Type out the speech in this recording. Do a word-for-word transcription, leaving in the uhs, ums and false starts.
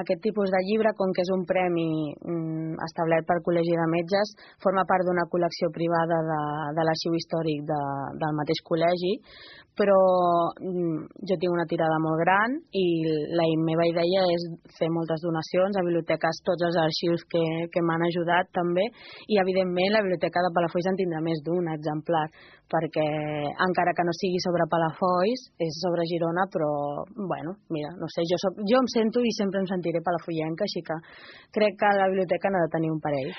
aquest tipus de llibre, com que és un premi mm, establert pel Col·legi de Metges, forma part d'una col·lecció privada de, de l'arxiu històric de, del mateix col·legi, però mm, jo tinc una tirada molt gran i la meva idea és fer moltes donacions a biblioteques, tots els arxius que, que m'han ajudat també, i evidentment la biblioteca de Palafolls en tindrà més d'un exemplar, perquè encara que no sigui sobre Palafolls, és sobre Girona, però bueno, mira, no sé, jo, soc, jo em sento i sempre em sentiré palafollenca, així que crec que la biblioteca n'ha de tenir un parell.